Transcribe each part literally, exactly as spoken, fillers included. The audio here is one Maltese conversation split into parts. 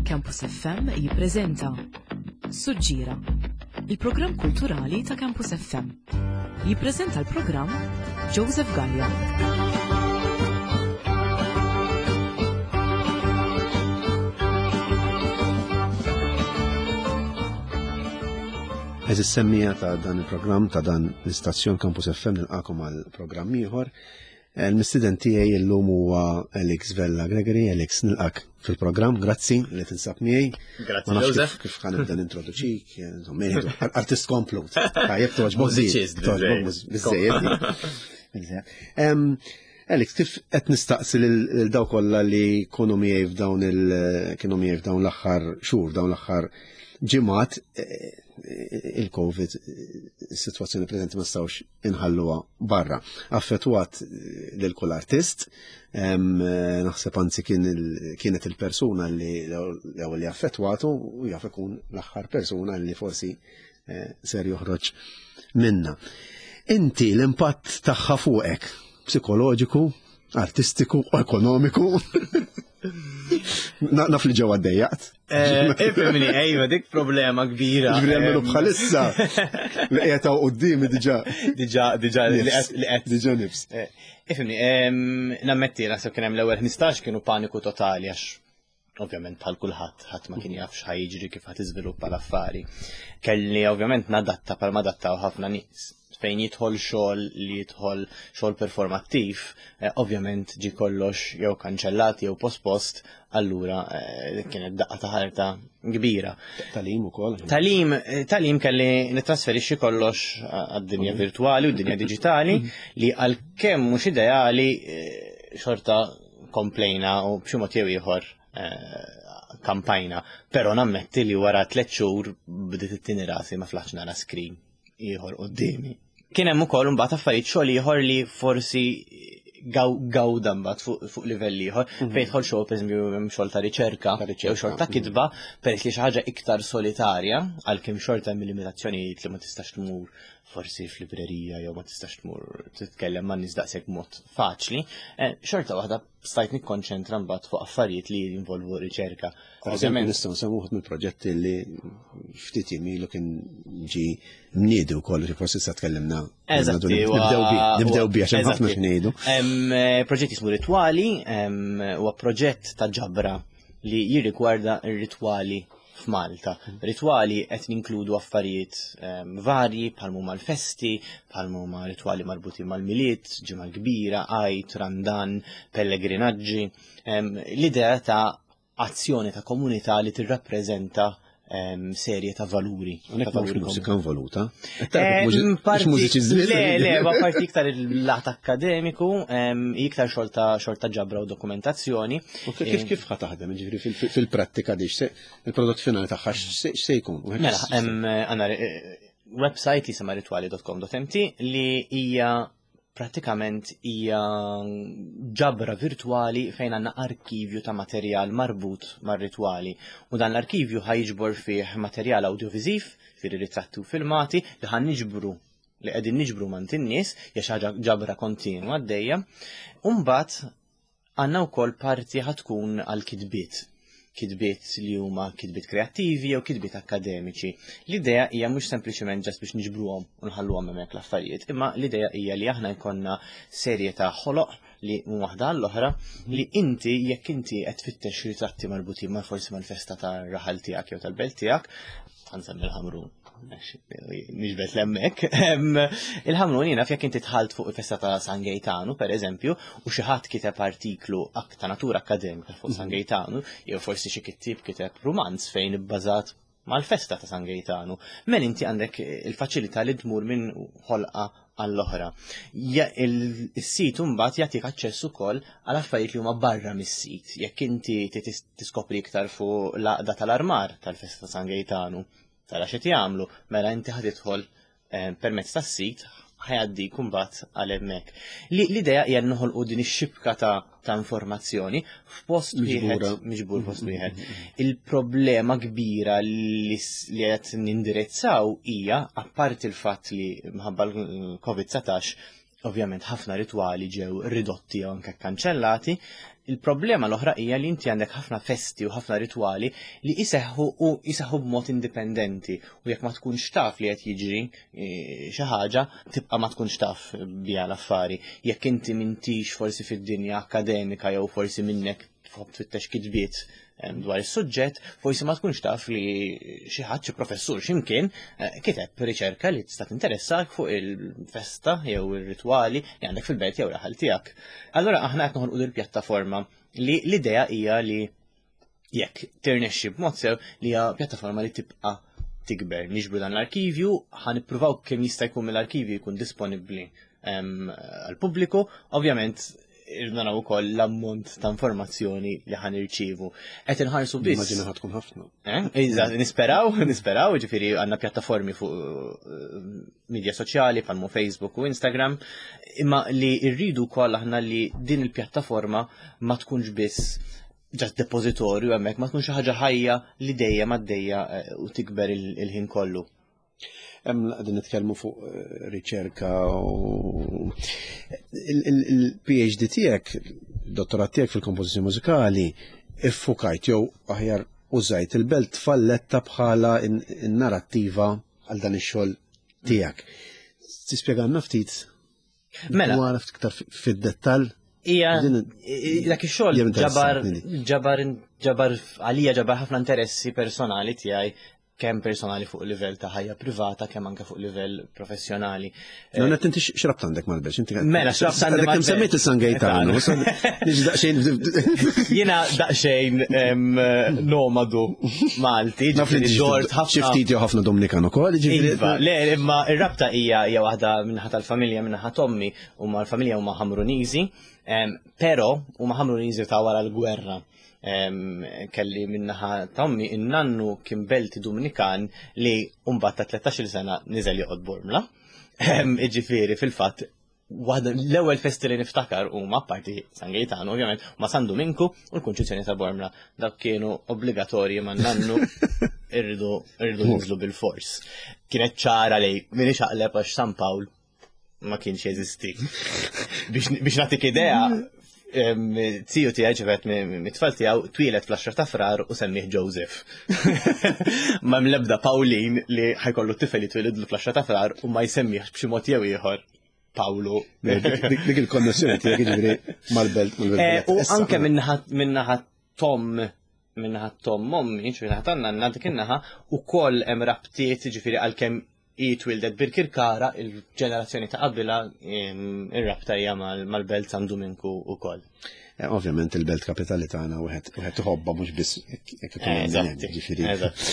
Campus F M jippreżenta Suġġira, il-programm kulturali ta' Campus F M. Jippreżenta l-programm Joseph Gallia. Għeżież semmiegħa ta' dan il-programm, ta' dan l-istazzjon Campus F M, nilqagħkom għal programm ieħor. Il-mistieden tiegħi llum huwa Alex Vella Gregory. Alex, nilqgħek fil-programm, grazzi li tinsab miegħi. Grazzi, Ma nafx Joseph. kif kif ħa nibda nintroduċik, insomma, ngħidu, artist komplut. Tajjeb, toġbok. Mużiċist, toġbok biżejjed. Biżejjed. Em, Alex, kif qed nistaqsi lil daw kollha li kienu miegħi f'dawn il kienu miegħi f'dawn l-aħħar xhur, dawn l-aħħar ġimgħat, eh, il-Covid, is-sitwazzjoni preżenti ma nistgħux inħalluha barra. Affettwat lil kull artist, em, naħseb anzi kien il- kienet il-persuna li l-ewwel li affettwatu u jaf ikun l-aħħar persuna li forsi eh, ser joħroġ minna. Inti l-impatt tagħha fuqek, psikoloġiku, artistiku, ekonomiku. Na- Naf li ġewwa ddejjaqt. Eh, Ifhimni, ejwa, dik problema kbira. Ġifieri għalmenu Em, bħalissa li qiegħed hawn quddiemi diġà. Diġà, diġà, li Nifs. qed- li qed. Diġà nifs. Eh, Ifhimni, em, nammetti, naħseb kien hemm l-ewwel ħmistax kienu paniku totali għax ovvjament bħal kulħadd, ħadd ma kien jaf x'ħa jiġri, kif ħa tiżviluppa l-affari. Kelli ovvjament nadatta bħal ma adattaw ħafna nies. Fejn jidħol xogħol li jidħol xogħol performattiv, eh, ovvjament ġi kollox jew kanċellat jew pospost, allura eh, kienet daqqa ta' ħarta kbira. Tagħlim ukoll. Tagħlim, eh, tagħlim kelli nitrasferixxi kollox għad-dinja virtuali u d-dinja digitali li għalkemm mhux ideali, eh, xorta komplejna u b'xi mod jew ieħor eh, kampajna. Però nammetti li wara tliet xhur bdiet it-tieni rasi, ma flaħx nara screen ieħor quddiemi. Kien hemm ukoll imbagħad affarijiet, xogħol ieħor li forsi gaw gawda mbagħad fuq fuq livell ieħor, fejn jidħol xogħol, pereżempju hemm xogħol ta' riċerka Ta' riċerka, jew xogħol ta' kitba, peress li xi ħaġa iktar solitarja, għalkemm xorta hemm limitazzjonijiet li ma tistax tmur forsi f'librerija jew ma tistax tmur titkellem ma' nies daqshekk mod faċli, eh, xorta waħda stajt nikkonċentra mbagħad fuq affarijiet li jinvolvu riċerka. Per eżempju, nistgħu nsemmu wħud mill-proġetti li ftit ilu kien ġi mniedi wkoll, li forsi sa tkellimna. Eżatti, Nibdew bi, nibdew bi għax hemm ħafna eżatti. x'ngħidu. Em, eh, Proġett jismu Ritwali, em, huwa proġett ta' ġabra li jirrigwarda r-ritwali f'Malta. Ritwali qed ninkludu affarijiet em, varji bħal huma l-festi, bħal huma ritwali marbutin mal-Milied, Ġimgħa Kbira, Għid, Randan, pellegrinaġġi. Em, L-idea ta' azzjoni ta' komunità li tirrappreżenta em, serje ta' valuri. Hawnhekk Ta' mhux valuri mużika involuta. Eh, Mhux mużiċisti. Le, le, ma parti iktar il-lat akkademiku, em, iktar xogħol ta' xogħol ta' ġabra u dokumentazzjoni. U Kif kif ħa taħdem, ġifieri fil- fil-prattika di, x'se- il-prodott finali tagħha x'se x'se jkun? Mela, hemm għandna eh, website li jisimha ritwali punt com punt M T li hija pratikament hija ġabra virtuali fejn għandna arkivju ta' materjal marbut mar-ritwali. U dan l-arkivju ħa jiġbor fih materjal audioviziv, fir ritratti u filmati li ħa niġbru, li qegħdin niġbru mingħand in-nies, hija xi ħaġa ġabra kontinwa għaddejja. U mbagħad għandna wkoll parti ħa tkun għal kitbiet kitbiet li huma kitbiet kreattivi jew kitbiet akademiċi. L-idea hija mhux sempliċement just biex niġbruhom u nħalluhom hemmhekk l-affarijiet, imma l-idea hija li aħna jkollna serje ta' ħoloq li minn waħda għall-oħra li inti, jekk inti qed tfittex ritratti marbutin ma' forsi mal-festa tar-raħal tiegħek jew tal-belt tiegħek, ħa nsemmi l-Ħamrun, niġbed 'l hemmhekk. Il-Ħamrun, jiena jekk inti dħalt fuq il-festa ta' San Gaetano, per eżempju, u xi ħadd kiteb artiklu ta' natura akademika fuq San Gaetano, jew forsi xi kittib kiteb rumanz fejn ibbażat mal-festa ta' San Gaetano, men inti għandek il-faċilità li tmur minn ħolqa għall-oħra. Il-sit mbagħad jagħtik aċċess ukoll għal affarijiet li huma barra mis-sit. Jekk inti tiskopri iktar fuq l-għaqda tal-armar tal-festa ta' San Gaetano, tara x'qed jagħmlu, mela inti ħa tidħol eh, permezz tas-sit, ħa jgħaddik mbagħad għal hemmhekk. L-idea hija noħolqu din ix-xibka ta' ta' informazzjoni f'post wieħed, miġbur post wieħed. Il-problema kbira li qed nindirizzaw hija, apparti il-fatt li minħabba l-Covid dsatax Ovvjament ħafna ritwali ġew ridotti jew anke kanċellati. Il-problema l-oħra hija li inti għandek ħafna festi u ħafna ritwali li jiseħħu u jiseħħu b'mod indipendenti u jekk ma tkunx taf li qed jiġri eh, xi ħaġa, tibqa' ma tkunx taf biha l-affari. Jekk inti m'intix forsi fid-dinja akademika jew forsi minnek tfittex kitbiet dwar is-suġġett, forsi ma tkunx taf li xi ħadd, xi professur x'imkien eh, kiteb riċerka li tista' tinteressak fuq il-festa jew ir-ritwali li għandek fil-belt jew raħal tiegħek. Allura aħna qed noħolqu il-pjattaforma li l-idea hija li jekk tirnexxi b'mod sew li hija pjattaforma li tibqa' tikber. Niġbru dan l-arkivju, ħa nippruvaw kemm jista' jkun mill-arkivju jkun disponibbli għal-pubbliku. Ovvjament irridu naraw ukoll l-ammont ta' informazzjoni li ħa nirċievu. Qed inħarsu biss. Immaġina ħa tkun ħafna. Eh? Iżda, nisperaw, nisperaw, ġifieri għandna pjattaformi fuq eh, media soċjali bħalma Facebook u Instagram, imma li rridu wkoll aħna li din il-pjattaforma ma tkunx biss just depozitorju hemmhekk, ma tkunx xi ħaġa ħajja li dejjem għaddejja eh, u tikber il-ħin kollu. Hemm qegħdin nitkellmu fuq eh, riċerka u il-P H D tiegħek, dottorat tiegħek fil-kompożizzjoni mużikali, iffukajt jew aħjar użajt il-Belt Valletta bħala in-narrattiva għal dan ix-xogħol tiegħek. Tispjegalna ftit? Mela. Dwar ftit iktar fid-dettall. Ija, Din- dak ix-xogħol Hija ġabar interessanti. ġabar ġabar għalija ġabar ħafna interessi personali tiegħi, kemm personali fuq livell ta' ħajja privata, kemm anke fuq livell professjonali. No, net inti x'rabta għandek mal-Belt? Inti Mela, x'rabta għandi Għandek kemm mal-Belt? semmejt il-San Gaetano. Niġi daqsxejn. Jiena daqsxejn em, nomadu Malti, Naf li ġifieri dort xi ħafna. ftit jew ħafna Dominikan ukoll, ġifieri. Iva, le, imma ir-rabta hija hija waħda min-naħa tal-familja, min-naħa t'ommi, u ma l-familja huma Ħamruniżi, em, però huma Ħamruniżi ta' wara l-gwerra. Em, kelli min-naħa t'ommi in-nannu kien Belti Dominikan li mbagħad ta' tlettax-il sena niżel joqgħod Bormla. Em, Iġifieri fil-fatt waħda l-ewwel festi li niftakar huma parti San Gaetano ovvjament, ma San Duminku u l-Kunċizzjoni ta' Bormla. Dak kienu obbligatorji ma' nannu, irridu irridu ninżlu bil-fors. Kienet ċara li min ixaqleb għax San Pawl ma kienx jeżisti. Biex biex nagħtik idea, em, ziju tiegħi ġivet mit-tfal tiegħu twieled fl-għaxra ta' Frar u semmih Joseph. Ma mlebda Pauline li ħa jkollu tifel li twilidlu fl-għaxra ta' Frar u ma jsemmih b'xi mod jew ieħor Paolo. Dik dik il-konnessjoni tiegħek ġifieri mal-belt mal-belt. Eh, U Issa, anke min-naħa min-naħa t'omm min-naħa t'omm ommi, ġifieri naħa tan-nanna dik in-naħa ukoll hemm rabtiet, ġifieri għalkemm hi twildet Birkirkara, il-ġenerazzjoni ta' qabilha em, ir-rabta hija mal- mal-Belt San Duminku ukoll. Eh, Ovvjament il-belt kapitali tagħna wieħed wieħed iħobbha mhux biss jekk jekk ikun Eh, hemm Eżatti, ġifieri. eżatti.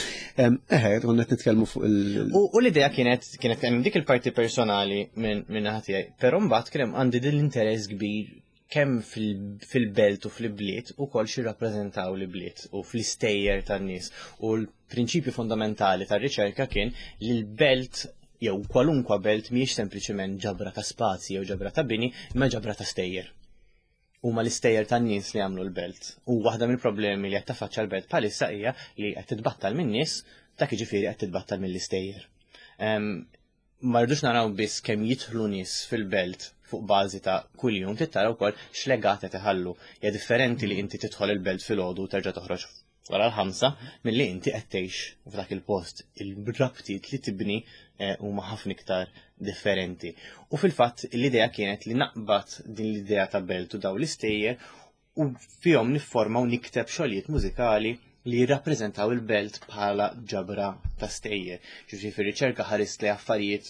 Em, Eħe, konna qed nitkellmu fuq il- U, u l-idea kienet kienet hemm dik il-parti personali minn minn naħa tiegħi, però mbagħad kien hemm għandi din l-interess kbir kemm fil- fil-belt u fil-bliet u kol xi rappreżentaw l-bliet u fl-istejjer tan-nies. U l-prinċipju fondamentali tar-riċerka kien li l-belt jew kwalunkwa belt mhijiex sempliċement ġabra ta' spazji jew ġabra ta' bini, imma ġabra ta' stejjer. Huma l-istejjer tan-nies li għamlu l-belt. U waħda mill-problemi li qed taffaċċa l-belt bħalissa hija li qed titbattal min-nies, dak jiġifieri qed titbattal mill-istejjer. Em, Ma rridux naraw biss kemm jidħlu nies fil-belt fuq bażi ta' kuljum, trid tara wkoll x'legat qed iħallu. Hija differenti li inti tidħol il-belt filgħodu u terġa' toħroġ wara l-ħamsa milli inti qed tgħix f'dak il-post. Il-rabtiet li tibni eh, huma ħafna iktar differenti. U fil-fatt l-idea kienet li naqbad din l-idea ta' belt u daw l-istejjer u fihom nifforma u nikteb xogħlijiet mużikali li jirrappreżentaw il-belt bħala ġabra ta' stejjer. Ġifieri fir-riċerka ħarist li affarijiet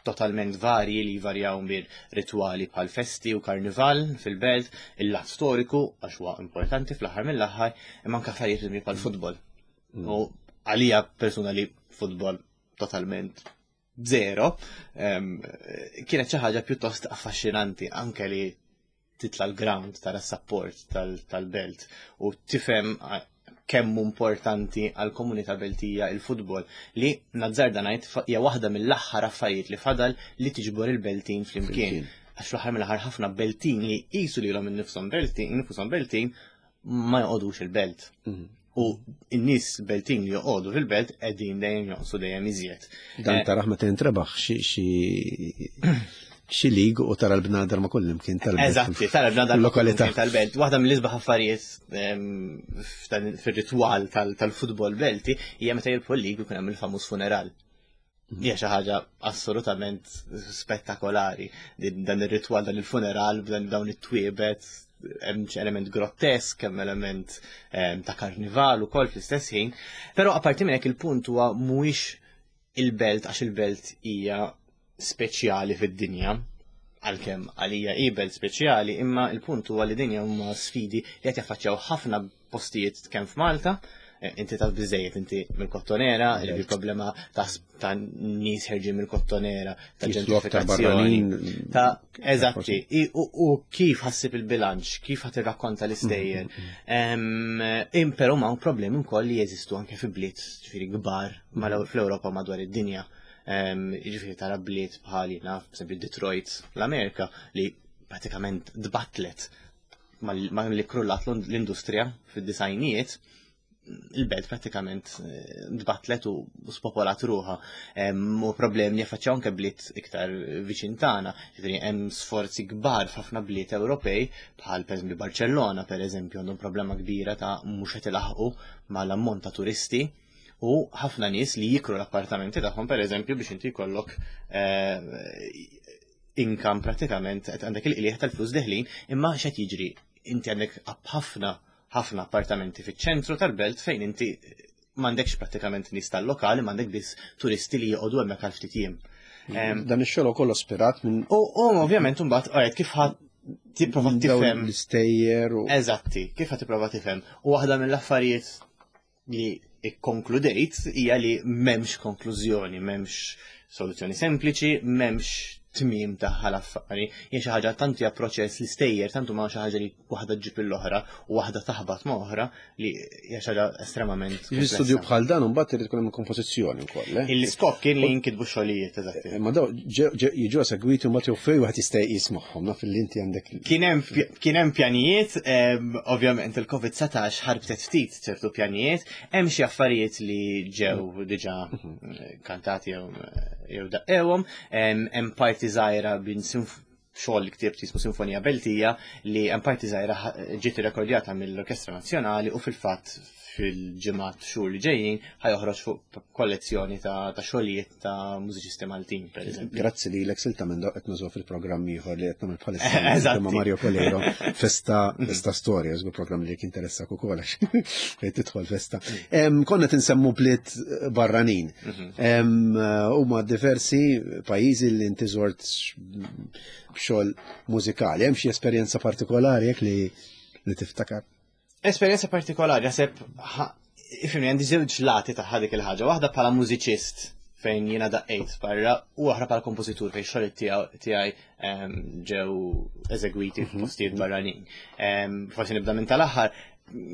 totalment varji li varjaw mir ritwali bħal festi u karnival fil-belt, il-lat storiku, għax huwa importanti fl-aħħar mill-aħħar, imma anke affarijiet li bħal futbol. U għalija persuna li futbol totalment zero, em, kienet xi ħaġa pjuttost affaxxinanti anke li titla l-ground tara support tal-belt u tifhem eh, kemm importanti għal komunità beltija il-futbol li nazzarda ngħid fa- hija waħda mill-aħħar affarijiet li fadal li tiġbor il-Beltin flimkien. Flimkien. Għax fl-aħħar mill-aħħar ħafna Beltin li jqisu lilhom innifshom Beltin, infushom Beltin ma joqogħdux il-belt. Mhm. U n-nies Beltin li joqogħdu fil-belt qegħdin dejjem jonqsu dejjem iżjed. Dan Eh, taraħ meta jintrebaħ xi xi xi league u tara l-bnadar ma' kullimkien tal-belt. Eżatti, tara l-bnadar Lokalità. tal-belt. Waħda mill-isbaħ affarijiet ehm, f'dan- fir-ritwal tal- tal-futbol belti hija meta jirbħu l-league jkun hemm il-famuż funeral. Hija xi ħaġa assolutament spettakolari. Din- Dan ir-ritwal, dan il-funeral, b'dan dawn it-twiebet, hemm xi element grottesk, hemm element ehm, ta' karnival ukoll fl-istess ħin. Però apparti minn hekk, il-punt huwa mhuwiex il-belt għax il-belt hija speċjali fid-dinja, għalkemm għalija hi belt speċjali, imma il-punt huwa li dinja huma sfidi li qed jaffaċċjaw ħafna postijiet kemm f'Malta, eh, inti taf biżejjed, inti mill-Kottonera, li problema ta' ta' nies ħerġin mill-Kottonera, ta' Jitlu aktar ġentrifikazzjoni. barranin. Ta' eżatti, i- u u kif ħa ssib il-bilanċ, kif ħa tirrakkonta l-istejjer. Em, im Però ma' problemi wkoll li jeżistu anke fi bliet, ġifieri kbar mal- fl-Ewropa, madwar id-dinja. Em, Ġifieri tara bliet bħal, naf, per Detroit, l-Amerika, li pratikament dbatlet mal ma li krullat l-industrija fid-disajnijiet, il-belt pratikament eh, dbatlet u u spopolat ruħha. Em, U problemi li jaffaċċjaw anke bliet iktar viċin tagħna. Ġifieri hemm sforzi kbar f'ħafna bliet Ewropej, bħal pereżempju Barcellona pereżempju, għandhom problema kbira ta' mhux qed ilaħqu mal-ammont ta' turisti u ħafna nies li jikru l-appartamenti tagħhom, pereżempju, biex inti jkollok eh, income, pratikament qed għandek il-qliegħ tal-flus deħlin, imma x'qed jiġri, inti għandek ħafna ħafna appartamenti fiċ-ċentru tal-belt fejn inti m'għandekx pratikament nies tal-lokali, m'għandek biss turisti li joqogħdu hemmhekk għal ftit jiem. Em, Dan ix-xogħol ukoll ispirat minn U u ovvjament mbagħad alright, kif ħa tipprova dawn tifhem l-istejjer u Eżatti, kif ħa tipprova tifhem. U waħda mill-affarijiet li ikkonkludejt hija li m'hemmx konklużjoni, m'hemmx soluzzjoni sempliċi, m'hemmx tmiem tagħha l-affari. Hija xi ħaġa tant hija proċess li stejjer, tant huma xi ħaġa li waħda ġġib l-oħra u waħda taħbat ma' oħra, li hija xi ħaġa estremament Jiġi studju komplessa. bħal dan mbagħad irid ikun hemm kompożizzjoni wkoll, eh? Il-skop kien li jinkitbu xogħlijiet, eżatti. Ma daw ġew- ġew- jiġu segwiti mbagħad jew fejn wieħed jista' jismagħhom, naf li inti għandek Kien hemm kien hemm pjanijiet, em, ovvjament il-Covid dsatax ħarbtet ftit ċertu pjanijiet, hemm xi affarijiet li ġew diġà eh, kantati jew jew daqqewhom, em, hemm parti żgħira bin sinf- xogħol li ktibt jismu Sinfonija Beltija, li hemm parti żgħira ħa- ġiet irrekordjata mill-Orkestra Nazzjonali u fil-fatt fil-ġimgħat, xhur li ġejjin ħa joħroġ fuq kollezzjoni ta' ta' xogħlijiet ta' mużiċisti Maltin, pereżempju. Grazzi li l silta minn qed nużaw fil-programm ieħor li qed nagħmel bħalissa Eżatti. ma' Mario Coleiro, Festa Festa Storja, żgur programm li jekk interessak ukoll għax fejn tidħol festa. Em, Konna tinsemmu bliet barranin. Em, Huma diversi pajjiżi li inti żort b'xogħol mużikali. Hemm xi esperjenza partikolari jekk li li tiftakar? Esperjenza partikolari, naħseb, ifhimni, għandi żewġ lati ta' dik il-ħaġa. Waħda bħala mużiċist fejn jiena daqqejt barra u oħra bħala kompożitur fejn xogħol tiegħi em, ġew eżegwiti f'postijiet barranin. Em, Forsi nibda minn tal-aħħar,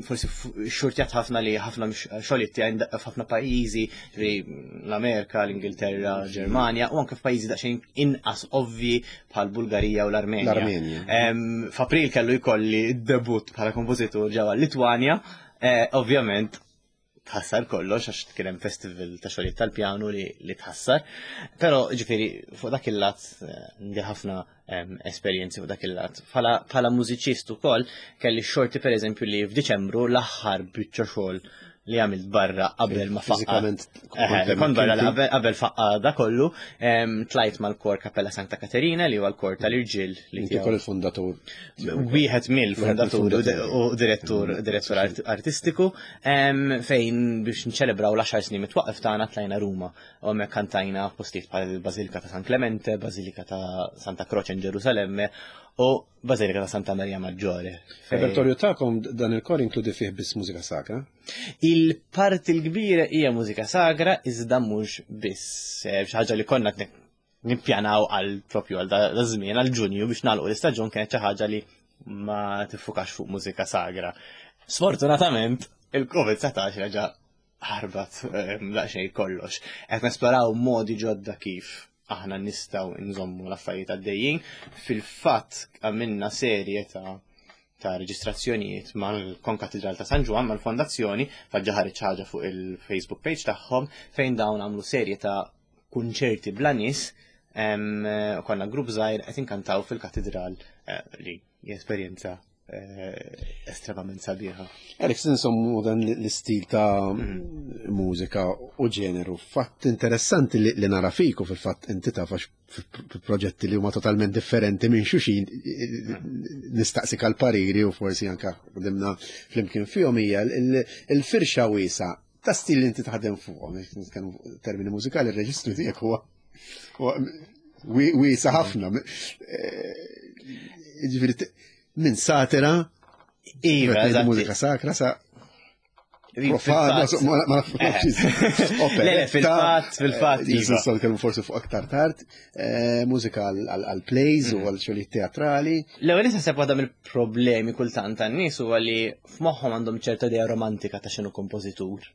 forsi f- xurtjat ħafna li ħafna xogħlijiet tiegħi ndaqqa f'ħafna pajjiżi, ġifieri l-Amerika, l-Ingilterra, Ġermanja u anke f'pajjiżi daqsxejn inqas ovvi bħal Bulgarija u l-Armenja. L-Armenja. Em, F'April kellu jkolli debut bħala kompożitur ġewwa Litwanja, eh, ovvjament tħassar kollox għax kien hemm festival ta' xogħlijiet tal-pjanu li, li tħassar. Però ġifieri fuq dak il-lat eh, għandi ħafna em, esperjenzi fuq dak il-lat. Bħala bħala mużiċist ukoll kelli xorti, pereżempju, li f'Diċembru l-aħħar biċċa xogħol li għamilt barra qabel ma faqqa. Fiżikament Eħe, kont kont barra inti? qabel qabel faqqa da kollu, em, tlajt mal-kor Cappella Santa Caterina, li huwa l-kor tal-irġiel li Inti tiegħu ukoll il-fundatur. wieħed mill-fundatur u mill-fundaturi. u direttur direttur art- artistiku, em, fejn biex nċelebraw l-għaxar snin mit-twaqqif tagħna tlajna Ruma u hemmhekk kantajna f'postijiet bħal il-Bażilika ta' San Clemente, Bażilika ta' Santa Croce in Ġerusalemme u Bażilika ta' Santa Maria Maggiore. Fejn- Repertorju tagħkom dan il-kor inkludi fih biss mużika sakra? Il-parti l-kbira hija mużika sagra, iżda mhux biss. Eh, Xi ħaġa li konna qed nippjanaw għal propju għal da da żmien, għal Ġunju, biex nagħlqu l-istaġun, kienet xi ħaġa li ma tiffukax fuq mużika sagra. Sfortunatament, il-Covid dsatax reġa' ħarbat eh, daqsxejn kollox. Qed nesploraw modi ġodda kif aħna nistgħu nżommu l-affarijiet għaddejjin. Fil-fatt għamilna serje ta' ta' reġistrazzjonijiet mal-Konkatedral ta' San Ġwann, mal-Fondazzjoni, faġġa ħareġ ħaġa fuq il-Facebook page tagħhom fejn dawn għamlu serje ta' kunċerti bla nies. Konna grupp żgħir qed inkantaw fil-katedral, eh, li esperjenza eh, estremament sabiħa. Alex, insommu dan l-istil ta' mhm. mużika u ġeneru. Fatt interessanti li, li nara fik u fil-fatt inti taf proġetti li huma totalment differenti minn xulxin nistaqsik għal pariri u forsi anka ħdimna flimkien fihom hija il-firxa wiesgħa ta' stil li inti taħdem fuqhom. Nitkellmu termini mużikali, il-reġistru tiegħek huwa wiesa' ħafna. Eh, ġifieri minn satira, Iva, mużika sakra, sa profana, ma nafx. Le, fil-fatt, fil-fatt. Iva. Nistgħu nitkellmu forsi fuq aktar tard, eh, mużika għal plays u għal xogħlijiet teatrali. L-ewwel naħseb waħda mill-problemi kultant tan-nies huwa li f'moħħhom għandhom ċerta idea romantika ta' x'inhu kompożitur.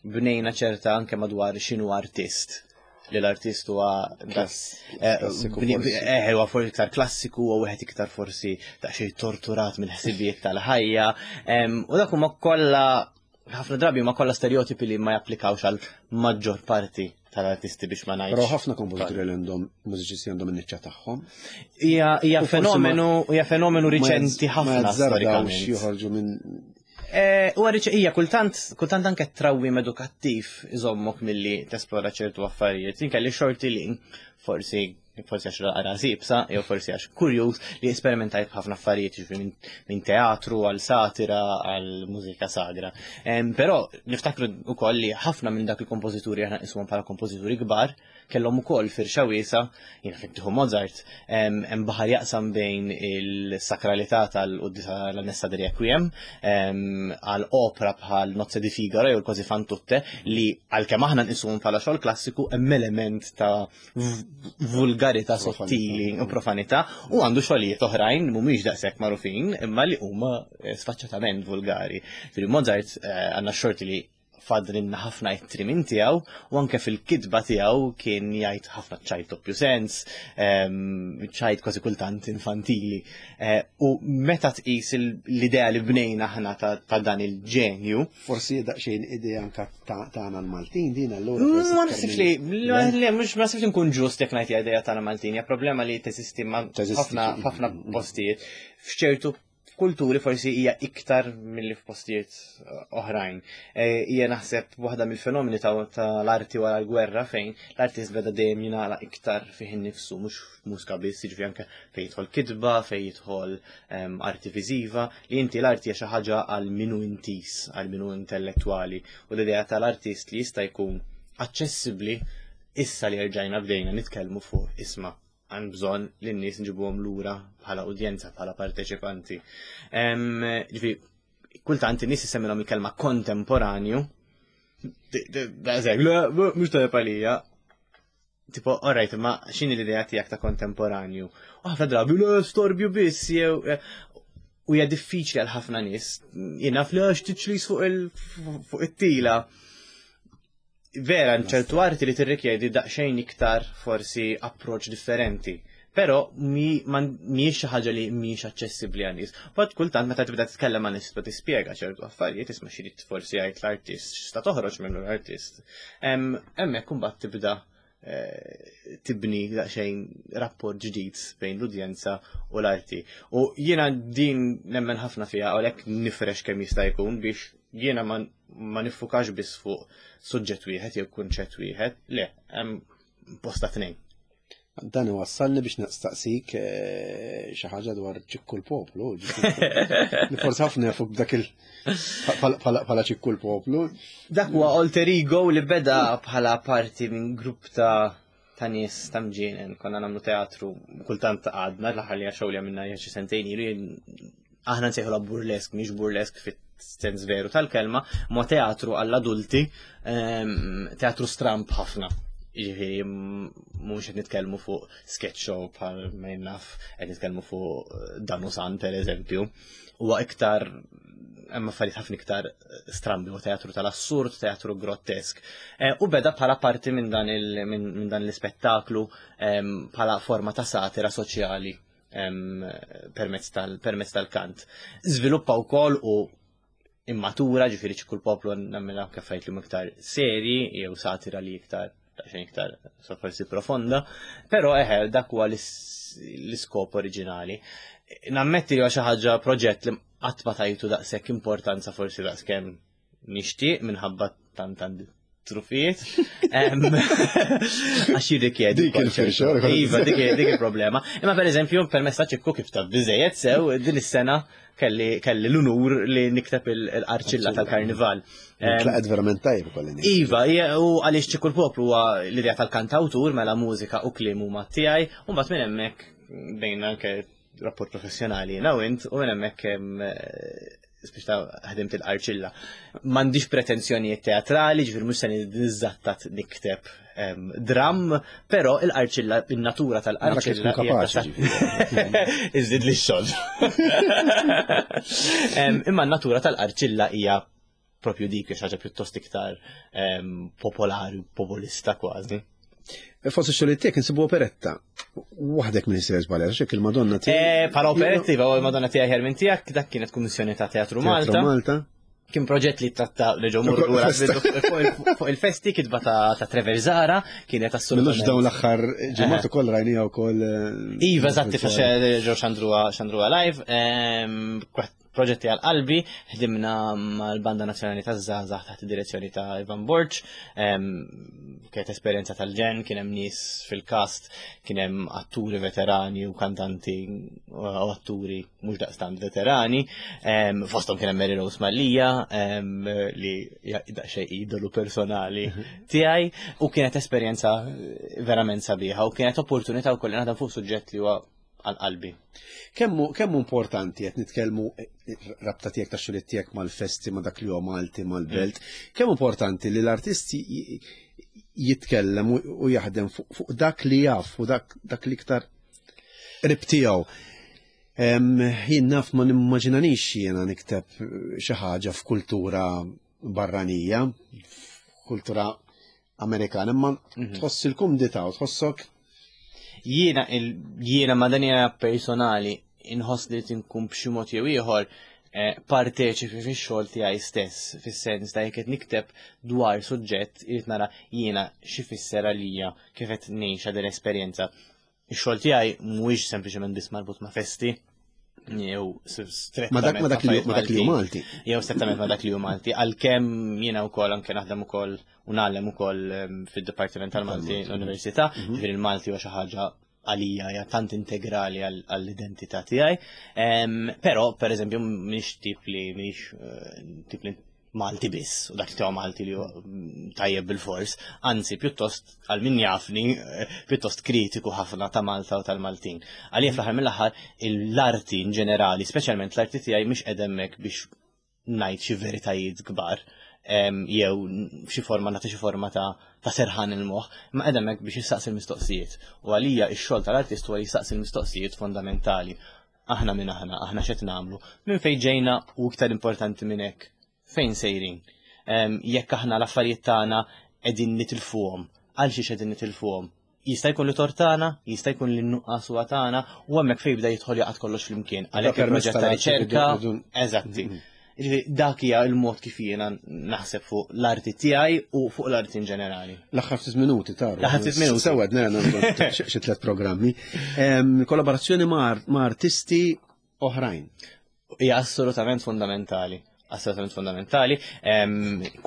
Bnejna ċerta anke madwar x'inhu artist, li l-artist huwa eh, eh, huwa forsi iktar klassiku u wieħed iktar forsi daqsxejn torturat mill-ħsibijiet tal-ħajja. U dak huma kollha, ħafna drabi huma kollha stereotipi li ma japplikawx għal maġġor parti tal-artisti, biex ma ngħidx. Però ħafna kompożituri li għandhom, mużiċisti għandhom in-niċċa tagħhom. Hija fenomenu hija fenomenu riċenti ħafna. Ma storikament. Joħorġu minn Eh, u għarriċ, ija, kultant, kultant anke trawwim edukattiv iżommok milli tesplora ċertu affarijiet. Inkelli xorti li forsi forsi għax rasi iebsa, jew forsi għax kurjuż li esperimentajt b'ħafna affarijiet, jiġifieri minn min teatru għal satira għal mużika sagra. Però niftakru ukoll li ħafna minn dak il-kompożituri aħna nqisuhom bħala kompożituri kbar kellhom ukoll firxa wiesgħa, jiena fittieħu Mozart, hemm baħar jaqsam bejn il-sakralità tal-Quddiesa l-Messa de Requiem għal opra bħal Nozze di Figaro jew l-Così fan tutte, li għalkemm aħna nqisuhom bħala xogħol klassiku hemm element ta' vulgarità sottili u profanità, u għandu xogħlijiet oħrajn mhumiex daqshekk magħrufin imma li huma eh, sfaċċatament vulgari. Fil Mozart eh, għandna xorti li fadlinna ħafna ittri minn tiegħu u anke fil-kitba tiegħu kien jgħid ħafna ċajt doppju sens, ċajt kważi kultant infantili. Eh, u meta tqis l-idea li bnejna aħna ta' dan il-ġenju. Forsi daqsxejn idea anka tagħna l-Maltin din allura. Ma naħsibx li, le, mhux ma naħsibx nkun ġust jekk ngħid idea tagħna Maltin, hija problema li teżisti ma' ħafna ħafna postijiet. F'ċertu kulturi forsi hija iktar milli f'postijiet eh, oħrajn. Eh, hija naħseb waħda mill-fenomeni tal-arti wara l-gwerra, fejn l-artist beda dejjem jingħala iktar fih innifsu, mhux mużika biss, jiġifieri anke fejn jidħol kitba, fejn jidħol ehm, arti viżiva, li inti l-arti hija xi ħaġa għal minu intis, għal minu intellettwali, u l-idea tal-artist li jista' jkun aċċessibbli, issa li rġajna bdejna nitkellmu fuq isma' għandna bżonn li n-nies nġibuhom lura bħala udjenza, bħala parteċipanti. Ġifieri, kultant in-nies isemmilhom il-kelma kontemporanju. Daqshekk, le, mhux tajjeb għalija. Tipo, alright, ma x'inhi l-idea tiegħek ta' kontemporanju? U ħafna drabi, le, storbju biss, jew u hija diffiċli għal ħafna nies. Jiena fl għax tiċlis fuq it-tila. Vera, ċertu arti li tirrikjedi daqsxejn iktar forsi approach differenti. Però mhijiex xi ħaġa li mhijiex aċċessibbli għan-nies. But kultant meta tibda titkellem ma' nies, tibda tispjega ċertu affarijiet, isma' xi forsi jgħid l-artist, x'sta toħroġ minnu l-artist. Hemmhekk imbagħad tibda eh, tibni daqsxejn rapport ġdid bejn l-udjenza u l-arti. U jiena din nemmen ħafna fiha, u għalhekk nifrex kemm jista' jkun biex jiena ma ma niffukax biss fuq suġġett wieħed jew kunċett wieħed, le, hemm posta tnejn. Dan iwassalni biex nistaqsik eh, xi ħaġa dwar Ċikku l-Poplu. Li forsi ħafna jafu b'dak il bħala Ċikku l-Poplu. Dak huwa alter ego li beda bħala parti minn grupp ta' ta' nies ta' mġienen, konna nagħmlu teatru, kultant għadna, l-aħħar li għaxew li għamilna xi sentejn ilu, aħna nsejħu burlesk, mhix burlesk fit-sens veru tal-kelma, ma teatru għall-adulti, ehm, teatru stramp ħafna. Ġifieri, mhux qed nitkellmu fuq sketch show bħal ma naf, qed nitkellmu fuq Danusan per eżempju. Huwa iktar, hemm affarijiet ħafna iktar strambi, u teatru tal-assurd, teatru grottesk. Eh, u beda bħala parti minn dan minn dan l-ispettaklu ehm, bħala forma ta' satira soċjali ehm, permezz tal-kant. Żviluppa wkoll u immatura, ġifieri Ċikku l-Poplu nagħmilha anke affarijiet li iktar seri jew satira li iktar daqsxejn iktar so forsi profonda, però eħe dak huwa l-iskop oriġinali. Nammetti li huwa xi ħaġa proġett li qatt ma tajtu daqshekk importanza forsi daqskemm nixtieq minħabba tant għandi trufijiet. Għax jirrikjedi. Dik il-firxa. Iva, dik dik il-problema. Imma per eżempju, permezz ta' Ċikku kif taf biżejjed sew, din is-sena kelli kelli l-unur li nikteb il-qarċilla tal-karnival. Tlaqet verament tajjeb kolli. Iva, u għaliex Ċikku l-Poplu huwa l-idea tal-kantawtur mela mużika u kliem huma tiegħi, u mbagħad minn hemmhekk bejn anke rapport professjonali jiena u int, u minn hemmhekk biex ta' ħdimt il-qarċilla. M'għandix pretenzjonijiet teatrali, ġifieri mhux se niżattat nikteb dram, però il-qarċilla, in-natura tal-qarċilla. Iżid li x-xogħol. Imma n-natura tal-qarċilla hija propju dik xi ħaġa pjuttost iktar popolari u populista kważi. Fost ix-xogħol tiegħek insibu operetta. Waħdek minn sejjer żbalja, xek il-Madonna tiegħek. Bħala operetti, iva, il-Madonna tiegħi ħer minn tiegħek, dak kienet kummissjoni ta' Teatru Malta. Malta. Kien proġett li tratta reġgħu morru lura fuq il-festi, kitba ta' Trevor Zara, kienet assolutament. Minux dawn l-aħħar ġimgħat ukoll rajnija wkoll. Iva, eżatti, fax ġew xandruha live. Proġetti għal qalbi, ħdimna mal-Banda Nazzjonali taż-Żgħażagħ taħt id-direzzjoni ta' Ivan Borg, kienet esperjenza tal-ġen, kien hemm nies fil-kast, kien hemm atturi veterani u kantanti u atturi mhux daqstant veterani, fosthom kien hemm Mary Rose Mallia, li daqsxejn idolu personali tiegħi, u kienet esperjenza verament sabiħa u kienet opportunità wkoll naħdem fuq suġġett li huwa għal-qalbi. Kemmu kemmu importanti qed nitkellmu rabta tiegħek ta' xogħol tiegħek mal-festi ma' dak li huwa Malti mal-belt, kemm importanti li l-artisti jitkellem u jaħdem fuq dak li jaf u dak dak li iktar qrib tiegħu. Jien naf ma nimmaġinanix jiena nikteb xi ħaġa f'kultura barranija, f'kultura Amerikana, imma tħoss il-kumdità u tħossok. Jiena jiena ma dan hija personali inħoss li tinkun b'xi mod jew ieħor parteċipi fix-xogħol tiegħi stess, fis-sens ta' jekk qed nikteb dwar suġġett irid nara jiena xi fisser għalija kif qed ngħixha din l-esperjenza. Ix-xogħol tiegħi mhuwiex sempliċement biss marbut ma' festi, jew strettament ma dak li hu Malti. Jew strettament ma dak li hu Malti, għalkemm jiena wkoll anke naħdem ukoll u nagħlem ukoll fid-Dipartiment tal-Malti l-Università, ġifieri il-Malti huwa xi ħaġa għalija hija tant integrali għall-identità tiegħi. Però pereżempju mhix tip li mhix tip li Malti biss, u dak li tiegħu Malti li tajjeb bil-fors, anzi pjuttost għal min jafni, pjuttost kritiku ħafna ta' Malta u tal-Maltin. Għalija fl-aħħar mill-aħħar l-arti in ġenerali, speċjalment l-arti tiegħi mhix qed hemmhekk biex ngħid xi veritajiet kbar, jew xi forma nagħti xi forma ta' ta' serħan il-moħħ, ma qed hemmhekk biex jistaqsi l-mistoqsijiet. U għalija x-xogħol tal-artist huwa jistaqsi l-mistoqsijiet fondamentali. Aħna minn aħna, aħna x'qed nagħmlu, minn fejn ġejna u iktar importanti minn hekk, fejn sejrin. Jekk aħna l-affarijiet tagħna qegħdin nitilfuhom, għal xiex qegħdin nitilfuhom. Jista' jkun li tortana, jista' jkun li nuqqas huwa tagħna, u hemmhekk fejn jibda jidħol jaqgħod kollox flimkien. Għalhekk il-proġett ta' riċerka, eżatti. Dak hija l-mod kif jiena naħseb fuq l-arti tiegħi u fuq l-arti in ġenerali. L-aħħar ftit minuti taru. L-aħħar ftit minuti. Sewed nara xi tliet programmi. Kollaborazzjoni ma' artisti oħrajn. Hija assolutament fundamentali. Assolutament fundamentali.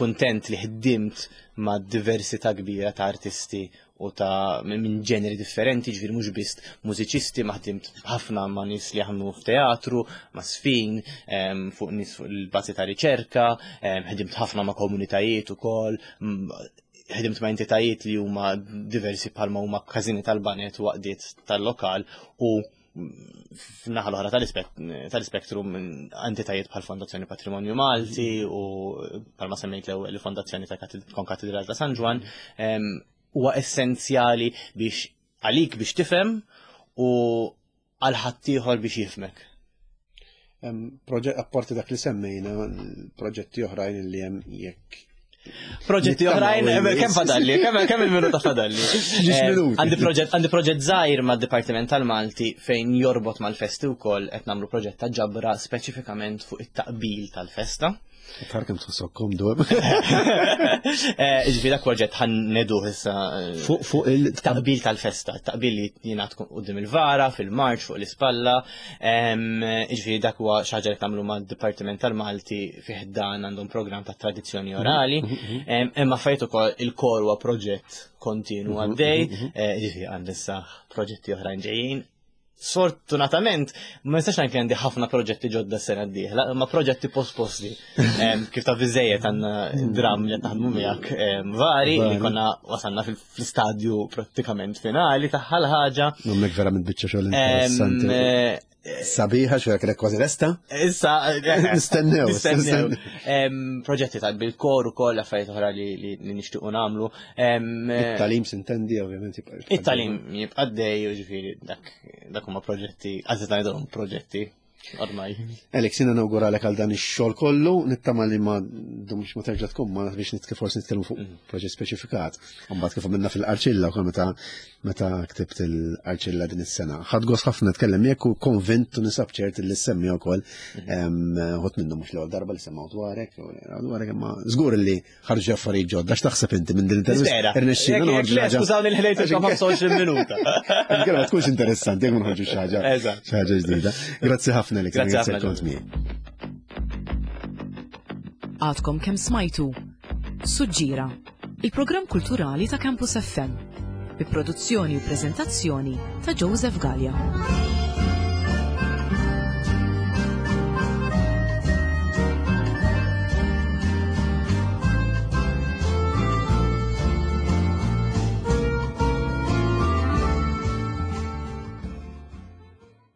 Kuntent li ħdimt ma' diversità kbira ta' artisti u ta' minn ġeneri differenti, ġifieri mhux biss mużiċisti, ma ħdimt ħafna ma' nies li jaħdmu f'teatru, ma' sfin, fuq nies fuq il-bażi ta' riċerka, ħdimt ħafna ma' komunitajiet ukoll, ħdimt ma' entitajiet li huma diversi bħalma huma każini tal-banet u għaqdiet tal-lokal u f'naħa l-oħra tal-ispektrum entitajiet bħal Fondazzjoni Patrimonju Malti u bħalma semmejt l-ewwel il-Fondazzjoni ta' Konkatedral ta' San Ġwann. Huwa essenzjali biex għalik biex tifhem u għal ħaddieħor biex jifhmek. Proġett apparti dak li semmejna, proġetti oħrajn li hemm jekk Proġetti oħrajn, kemm fadalli, kemm il-minuta fadalli. Għandi proġett għandi proġett żgħir mad-Dipartiment tal-Malti fejn jorbot mal-festi wkoll qed nagħmlu proġett ta' ġabra speċifikament fuq it-taqbil tal-festa. Tara kemm tħossok komdu. Eh, Ġifieri dak proġett ħa nneduh issa eh, Fuq fuq il taqbil tal-festa, taqbil li jingħad quddiem il-vara, fil-marċ, fuq l-ispalla. Em, Ġifieri dak huwa xi ħaġa li tagħmlu mad-Dipartiment tal-Malti fih dan għandhom programm ta' tradizzjoni orali. Em, Imma fajt ukoll il-kor huwa proġett kontinu għaddej, eh, ġifieri għandi issa proġetti oħrajn ġejjin. Sfortunatament, ma nistax ngħid li għandi ħafna proġetti ġodda s-sena d-dieħla, ma proġetti posposti. Em, Kif ta' biżejjed għandna dram li qed naħdmu miegħek em, vari li Vari. konna wasalna fil- fl-istadju prattikament finali tagħha l-ħaġa. Nommek verament biċċa xogħol Em, interessanti. eh, Sabiħa xogħol kellek kważi lesta. Issa, Nistennew, nistennew. nistennew. Em, Proġetti ta' bil-kor ukoll affarijiet oħra li li li nixtiequ nagħmlu. Em, It-tagħlim s'intendi ovvjament jibqa' It-tagħlim jibqa' għaddej, u ġifieri dak dak huma proġetti, għażiet ngħidulhom proġetti ormai. Alex, jiena nawguralek għal dan ix-xogħol kollu, nittama li ma dumx ma terġa' tkun ma biex nitke forsi nitkellmu fuq proġett speċifikat. Mbagħad kif għamilna fil-Qarċilla wkoll meta meta ktibt il-Qarċilla din is-sena. Ħadt gost ħafna nitkellem miegħek u konvint u ninsab ċert li semmi wkoll ħodt minnu mhux l-ewwel darba li semgħu dwarek u dwarek imma żgur li ħarġu affarijiet ġodda x'taħseb inti minn din intervista. Nispera. Irnexxielna Jekk- noħorġu jekk le, ħaġa. Skużawni li ħlejt ħamsa u għoxrin minuta. Inkella ma tkunx interessanti jekk ma noħorġu xi ħaġa. Eżatt. Xi ħaġa ġdida. Grazzi ħafna li Grazzi ħafna, kont miegħi. Għadkom kemm smajtu. Suġġira, il-programm kulturali ta' Campus F M. Bi produzzjoni u prezentazzjoni ta' Joseph Gallia.